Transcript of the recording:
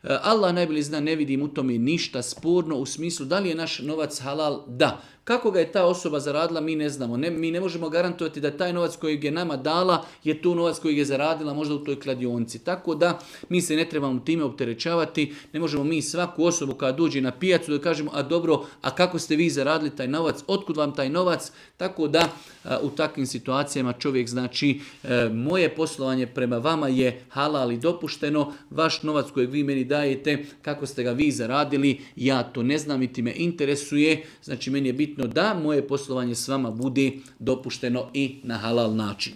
Allah najbolje zna, ne vidim u tome ništa sporno u smislu da li je naš novac halal, da. Kako ga je ta osoba zaradila, mi ne znamo. Mi ne možemo garantovati da taj novac kojeg je nama dala je to novac kojeg je zaradila možda u toj kladionci. Tako da mi se ne trebamo time opterećavati. Ne možemo mi svaku osobu kada dođe na pijacu da kažemo, a dobro, a kako ste vi zaradili taj novac, otkud vam taj novac? Tako da u takvim situacijama čovjek znači moje poslovanje prema vama je halal i dopušteno, vaš novac kojeg vi meni dajete, kako ste ga vi zaradili, ja to ne znam niti me interesuje, znači meni je bitno da moje poslovanje s vama bude dopušteno i na halal način.